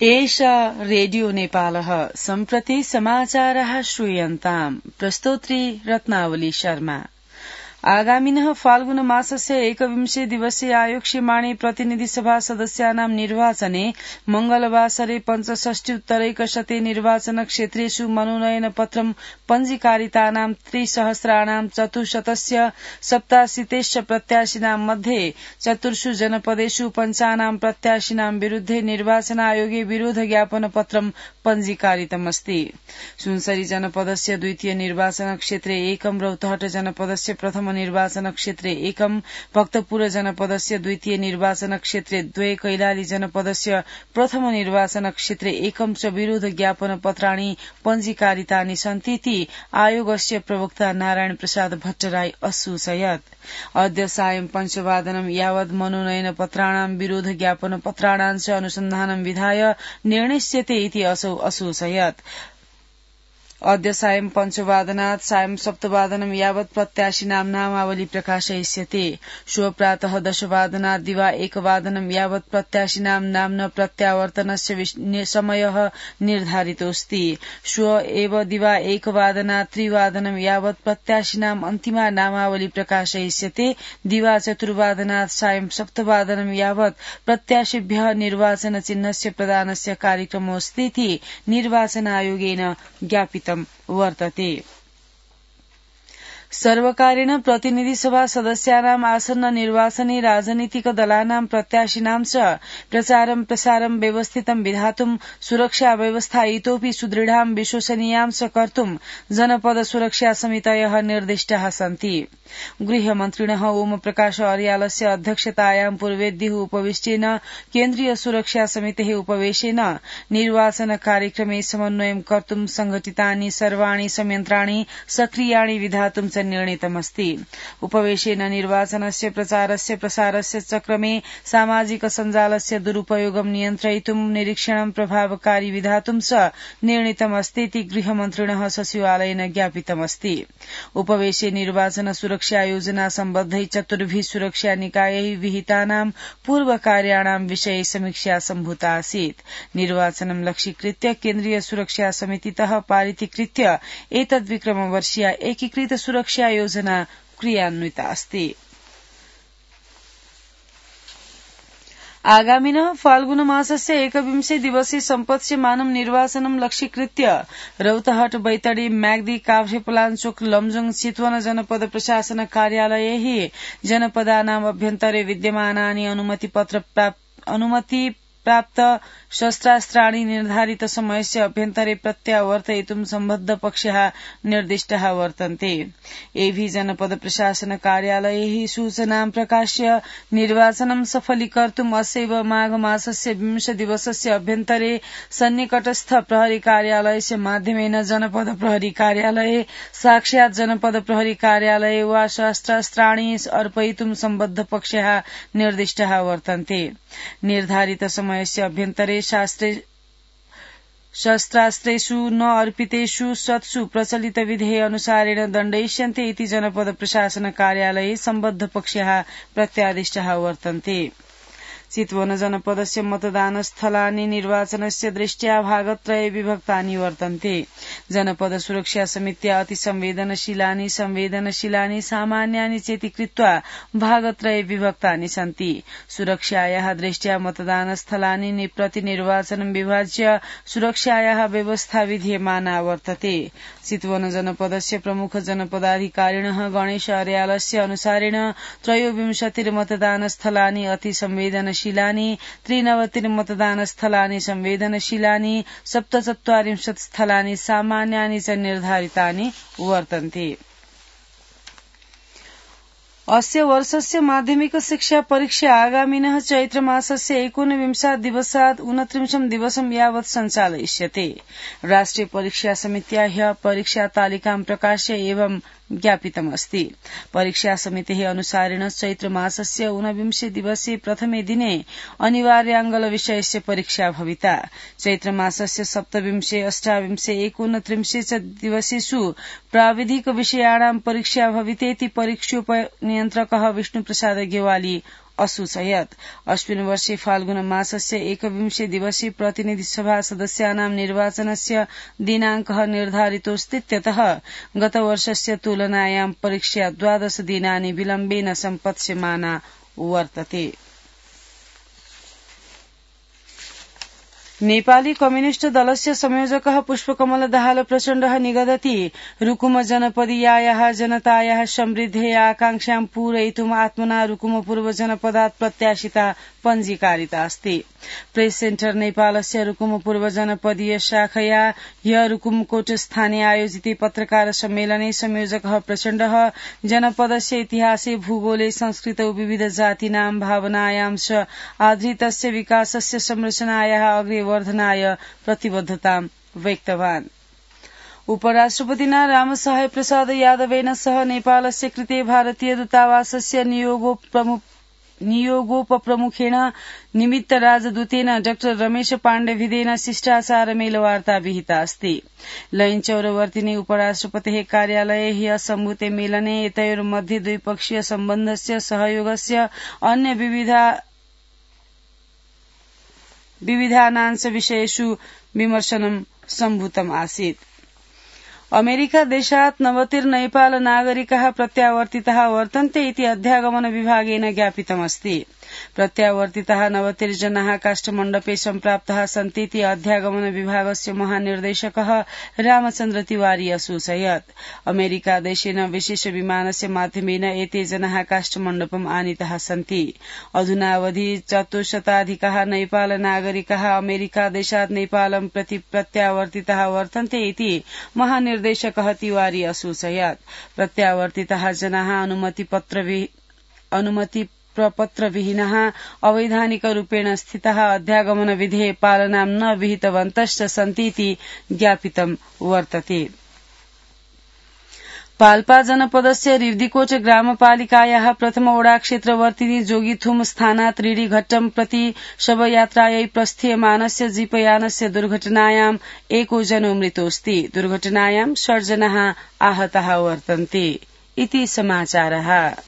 एषा रेडियो नेपालः सम्प्रति समाचारः श्रूयन्ताम् प्रस्तोत्री रत्नावली शर्मा। आगामिनः फाल्गुन मासस्य 21 दिवसीय आयोक्ष्यमाणे प्रतिनिधि सभा सदस्यानां निर्वाचने मंगलवासरे 65 निर्वाचन क्षेत्रेषु मनोनयन पत्रं पञ्जीकारितानां 3,487 प्रत्याशिनां मध्ये 4 जनपदेषु 5 प्रत्याशिनां विरुद्धे निर्वाचन आयोगे विरोध ज्ञापन पत्रं पञ्जीकारितमस्ति। सुनसरी जनपदस्य द्वितीय निर्वाचन क्षेत्रे 1 रौतहट जनपदस्य प्रथम निर्वाचन क्षेत्रे 1 भक्तपुर जनपदस्य द्वितीय निर्वाचन क्षेत्रे 2 कैलाली जनपदस्य प्रथम निर्वाचन क्षेत्रे 1 च विरोध ज्ञापन पत्राणि पञ्जीकारितानि सन्ति इति आयोगस्य प्रवक्ता नारायण प्रसाद भट्टराई असूचयत्। अद्य सायं 5 यावत् मनोनयन पत्राणां विरोध ज्ञापन पत्राणां च अनुसन्धानं विधाय निर्णिष्यते इति असौ असूचयत्। अद्य सायं 5 सायं 7 यावत् प्रत्याशिनां नामावली प्रकाशयिष्यते। श्वः प्रातः 10 दिवा 1 यावत् प्रत्याशिनां नाम्न प्रत्यावर्तनस्य समयः निर्धारितोऽस्ति। श्वः एव दिवा 1 3 यावत् प्रत्याशिनां अन्तिमा नामावली प्रकाशयिष्यते। दिवा 4 सायं 7 यावत् प्रत्याशिभ्यः निर्वाचन चिह्नस्य प्रदानस्य कार्यक्रमोऽस्ति इति निर्वाचन आयोगेन ज्ञापितम् वर्तते। सर्वकारेण प्रतिनिधि सभा सदस्यानाम् आसन्न निर्वाचने राजनीतिक दलानां प्रत्याशिनां च प्रचारं प्रसारं व्यवस्थितं विधातुं सुरक्षा व्यवस्था इतोपि सुदृढां विश्वसनीयां च कर्तुं जनपद सुरक्षा समितयः निर्दिष्टाः सन्ति। गृहमन्त्रिणः ओम प्रकाश अर्यालस्य अध्यक्षतायां पूर्वेद्युः उपविष्टेन केन्द्रीय सुरक्षा समितेः उपवेशेन निर्वाचन कार्यक्रमे समन्वयं कर्तुं संघटितानि सर्वाणि संयन्त्राणि सक्रियाणि विधातुं च निर्णीतमस्ति। उपवेशेन निर्वाचनस्य प्रचारस्य प्रसारस्य चक्रमे सामाजिक सञ्जालस्य दुरुपयोगं नियन्त्रयितुं निरीक्षणं प्रभावकारी विधातुं च निर्णीतमस्ति इति गृहमन्त्रिणः सचिवालयेन ज्ञापितमस्ति। उपवेशे निर्वाचन सुरक्षा योजना सम्बद्धै 4 सुरक्षा निकायैः विहितानां पूर्वकार्याणां विषये समीक्षा सम्भूता आसीत्। निर्वाचनं लक्ष्यीकृत्य केन्द्रीय सुरक्षा समितितः पारितीकृत्य एतद्विक्रमवर्षीया एकीकृत सुरक्षा योजना क्रियान्विता अस्ति। आगामिनः फाल्गुन मासस्य 21 दिवसे सम्पत्स्यमानं निर्वाचनं लक्ष्यीकृत्य रौतहट बैतडी म्याग्दी काभ्रेपलाञ्चोक लमजुङ चितवन जनपद प्रशासन कार्यालयैः जनपदानाम् अभ्यन्तरे विद्यमानानि अनुमति प्राप्त शस्त्रास्त्राणि निर्धारित समयस्य अभ्यन्तरे प्रत्यावर्तयितुं सम्बद्ध पक्षाः निर्दिष्टाः वर्तन्ते। एभि जनपद प्रशासन कार्यालयैः सूचनां प्रकाश्य निर्वाचनं सफलीकर्तुम् अस्यैव माघ मासस्य 20 दिवसस्य अभ्यन्तरे सन्निकटस्थ प्रहरी कार्यालयस्य माध्यमेन जनपद प्रहरी कार्यालये साक्षात् जनपद प्रहरी कार्यालये वा शस्त्रास्त्राणि अर्पयितुं सम्बद्ध पक्षाः निर्दिष्टाः वर्तन्ते। निर्धारित समयस्य अभ्यन्तरे शस्त्रास्त्रेषु न अर्पितेषु सत्सु प्रचलित विधेय अनुसारेण दण्डयिष्यन्ते इति जनपद प्रशासन कार्यालये सम्बद्ध पक्षाः प्रत्यादिष्टाः वर्तन्ते। चितवन जनपदस्य मतदानस्थलानि निर्वाचनस्य दृष्ट्या भागत्रये विभक्तानि वर्तन्ते। जनपद सुरक्षा समित्या अतिसंवेदनशीलानि संवेदनशीलानि सामान्यानि चेति कृत्वा भागत्रये विभक्तानि सन्ति। सुरक्षायाः दृष्ट्या मतदानस्थलानि प्रति निर्वाचनं विभाज्य सुरक्षायाः व्यवस्था विधीयमाना वर्तते। चितवन जनपदस्य प्रमुख जनपदाधिकारिणः गणेश अर्यालस्य अनुसारेण 23 मतदानस्थलानि अतिसंवेदनशीलानि 93 मतदानस्थलानि संवेदनशीलानि 47 स्थलानि सामान्यानि च निर्धारितानि वर्तन्ते। अस्य वर्षस्य माध्यमिक शिक्षा परीक्षा आगामिनः चैत्र मासस्य 19 दिवसात् 29 दिवसं यावत् सञ्चालयिष्यते। राष्ट्रिय परीक्षा समित्या ह्यः परीक्षा तालिकां प्रकाश्य एवं ज्ञापितमस्ति। परीक्षा समितेः अनुसारेण चैत्र मासस्य 19 दिवसे प्रथमे दिने अनिवार्याङ्गल विषयस्य परीक्षा भविता। चैत्र मासस्य 27, 28, 29 च दिवसेषु प्राविधिक विषयाणां परीक्षा भवितेति परीक्षोपनियन्त्रकः विष्णुप्रसाद गेवाली असूचयत्। अस्मिन् वर्षे फाल्गुन मासस्य 21 दिवसीय प्रतिनिधिसभा सदस्यानां निर्वाचनस्य दिनाङ्कः निर्धारितोऽस्ति। त्यतः गतवर्षस्य तुलनायां परीक्षा 12 दिनानि विलम्बेन सम्पत्स्यमाना वर्तते। नेपाली कम्युनिष्ट दलस्य संयोजकः पुष्पकमल दाहाल प्रचण्डः निगदति रुकुम जनपदीयायाः जनतायाः समृद्धेः आकांक्षां पूरयितुम् आत्मना रुकुम पूर्व जनपदात् प्रत्याशिता पञ्जीकारिता अस्ति। प्रेस सेन्टर नेपालस्य रुकुम पूर्व जनपदीय शाखया ह्य रुकुमकोट स्थाने आयोजिते पत्रकार सम्मेलने संयोजकः प्रचण्डः जनपदस्य इतिहासे भूगोले संस्कृतौ विविध जातीनां भावनायां च आधारितस्य विकासस्य संरचनायाः अग्रेवर्धनाय प्रतिबद्धतां व्यक्तवान्। उपराष्ट्रपतिना रामसहाय प्रसाद यादवेन सह नेपालस्य कृते भारतीय दूतावासस्य नियोगोपप्रमुखेण निमित्त राजदूतेन डाक्टर रमेश पाण्डेभिदेन शिष्टाचार मेलवार्ता विहिता अस्ति। लैनचौरवर्तिनि उपराष्ट्रपतेः कार्यालये ह्यः सम्भूते मेलने एतयोर्मध्ये द्विपक्षीय सम्बन्धस्य सहयोगस्य अन्य विविधानांश विषयेषु विमर्शनं सम्भूतम् आसीत्। अमेरिका देशात् 90 नेपाल नागरिकाः प्रत्यावर्तिताः वर्तन्ते इति अध्यागमन विभागेन ज्ञापितमस्ति। प्रत्यावर्तिताः 90 जनाः काष्ठमण्डपे सम्प्राप्ताः सन्तीति अध्यागमन विभागस्य महानिर्देशकः रामचन्द्र तिवारी असूचयत्। अमेरिका देशेन विशेष विमानस्य माध्यमेन एते जनाः काष्ठमण्डपम् आनीताः सन्ति। अधुनावधि 400 नेपाल नागरिकाः अमेरिका देशात् नेपालं प्रति प्रत्यावर्तिताः वर्तन्ते इति महानिर्देशकः तिवारी असूचयत्। प्रत्यावर्तिताः जनाः अनुमतिप्रपत्रविहीनः अवैधानिकरूपेण स्थिताः अध्यागमन विधेः पालनां न विहितवन्तश्च सन्तीति ज्ञापितं वर्तते। पाल्पा जनपदस्य रिव्दीकोट ग्रामपालिकायाः प्रथम वडा क्षेत्रवर्तिनी जोगीथुम स्थानात् ऋढीघट्टं प्रति शवयात्रायै प्रस्थीयमानस्य जीपयानस्य दुर्घटनायां एको जनो मृतोऽस्ति। दुर्घटनायां 6 जनाः आहताः वर्तन्ते। इति समाचारः।